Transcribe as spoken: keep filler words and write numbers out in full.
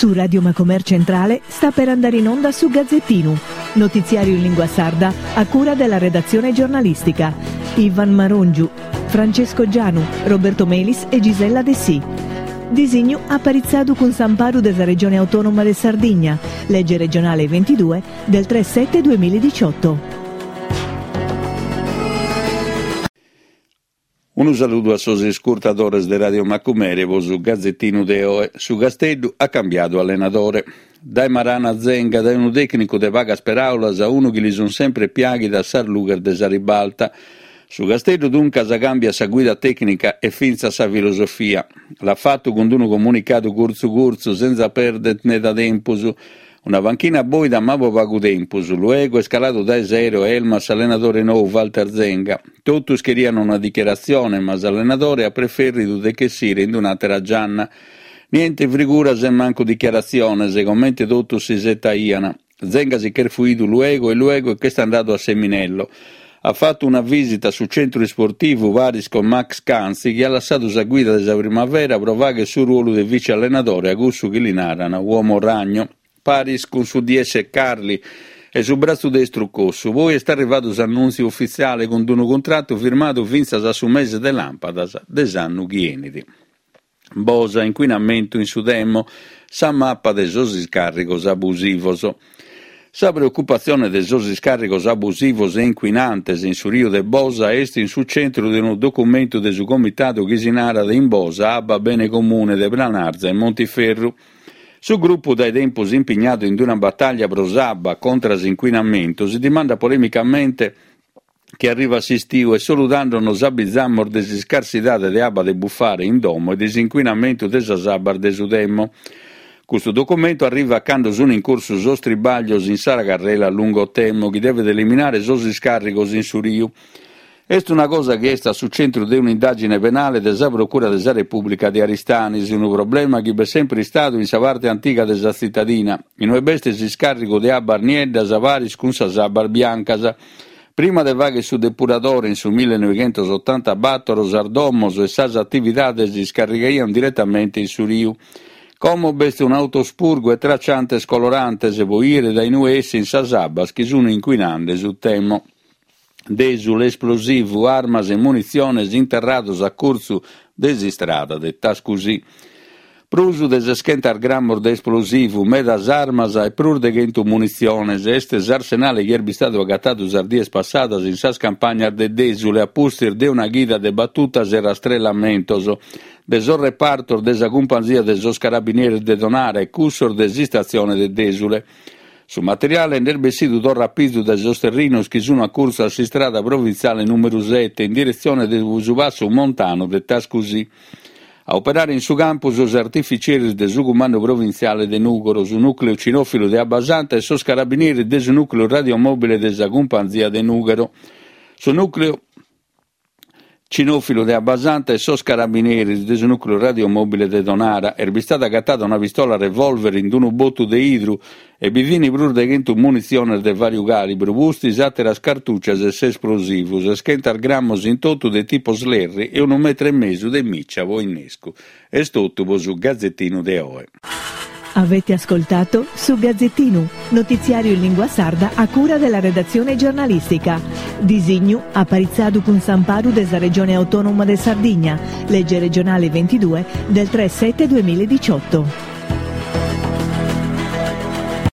Su Radio Macomer Centrale sta per andare in onda su Gazzettinu, notiziario in lingua sarda a cura della redazione giornalistica. Ivan Marongiu, Francesco Gianu, Roberto Melis e Gisella Dessì. Disignu aparitzadu cun s'amparu de sa Regione Autonoma de Sardigna, legge regionale ventidue del tre sette duemiladiciotto. Unu saludu a sos iscurtadores de Radio Macumere po su Gazzettinu de oe. Su Casteddu at cambiadu allenadore. Dae Maran a Zenga, dae unu tecnicu de pagas peraulas a unu chi li sun sempre piaghidas sas lughes de sa ribalta. Su Casteddu duncas cambiat sa guida tecnica e fintzas sa filosofia. L'at fatu cun unu comunicadu curtzu curtzu, senza perder meda tempus. Una panchina boida ma po pagu tempus. Luego est caladu dae s'aereo Elmas s'allenadore nou Walter Zenga. Totus cherian una dichiaratzione, ma s'allenadore at preferridu de chessire in un'àtera gianna. Niente friguras e mancu dichiaratziones, comente totus s'isetaian. Zenga si ch'est fuidu luego e luego ch'est andadu a Seminello. At fatu una visita a su centru isportivu paris con Max Canzi, chi at lassadu sa guida de sa Primavera pro fagher su ruolu de vice allenadore a cussu chi li naran uomo ragno. Paris cun su D S Carli e su bratzu destru Cossu. Poi est arrivadu s'annùntziu ufitziale cun unu cuntratu firmadu fintzas a su mese de làmpadas de s'annu chi enit. Bosa, inquinamentu in su Temo, sa mappa de sos iscàrrigos abusivos. Sa preocupatzione de sos iscàrrigos abusivos e inquinantes in su riu de Bosa est in su centru de unu documentu de su comitadu chi si narat in Bosa Abba Bene Comune de Planarza e Montiferru. Su gruppu dae tempus impignadu in una battaglia pro s'abba contra s'inquinamento si dimanda polemicamente che arriva s'istiu e solu tando nos abbizamos de s'iscarsidade de abba de buffare in domo e de s'inquinamento de sas abbas de su Temo. Custu documento arriva cando sono in corso sos tribaglios in sa carrela lungo Temo chi deve eliminare sos iscarrigos in su riu. Est una cosa chi est a su centru de un'indagine penale de sa Procura de sa Repubblica de Aristanis, unu problema chi b'est sempre istadu in sa parte antiga de sa cittadina, inue b'est s'iscarrigu de abbas nieddas paris cun sas abbas biancas. Prima de fagher su depuradore in su millenoighentosottantabattor, sas domos e sas attividades iscarrigaian direttamente in su riu. Como b'est un autospurgo e tracciantes colorantes po ire da inue essin sas abbas chi sun inquinande su Temo. Desule esplosivu, armas e munitziones interrados a cursu de s'istrada de Tascusì. Prus de seschentas grammos de esplosivu, medas armas e prus de chentu munitziones. Est s'arsenale chi est bistadu agatadu sas dies passadas in sas campagnas de Desule a pustis de una chida de battutas e rastrellamentos de sos repartos de sa cumpanzia de sos carabinieris de Tonara e cussos de s'istatzione de Desule. Su materiale nd'est bessidu torra a pizu dae sos terrinos chi sun a cursu a s'istrada provintziale numeru sette in direzione de su passu montano de Tascusì. A operare in su campu sos artificieris de su Cumandu Provintziale de Nùgoro, su nucleu cinòfilu de Abbasanta e sos carabinieris de su nucleu radiomobile de sa Cumpanzia de Nùgoro. Su nucleu cinòfilu de Abbasanta e sos carabinieris de su nucleu radiomobile de Tonara. Est bistada agattada una pistola revolver in unu bottu de idru e bi fini prus de chentu munitziones de variu calibru, pustis àteras cartuccias e s'esplosivu, seschentas grammos in totu de tipo Slerri e unu metro e mesu de miccia po innescu. Est totu po su Gazzettinu de oe. Avete ascoltato su Gazzettinu, notiziario in lingua sarda a cura della redazione giornalistica. Disignu aparitzadu cun s'amparu de sa Regione Autonoma de Sardigna, legge regionale ventidue del tre sette duemiladiciotto.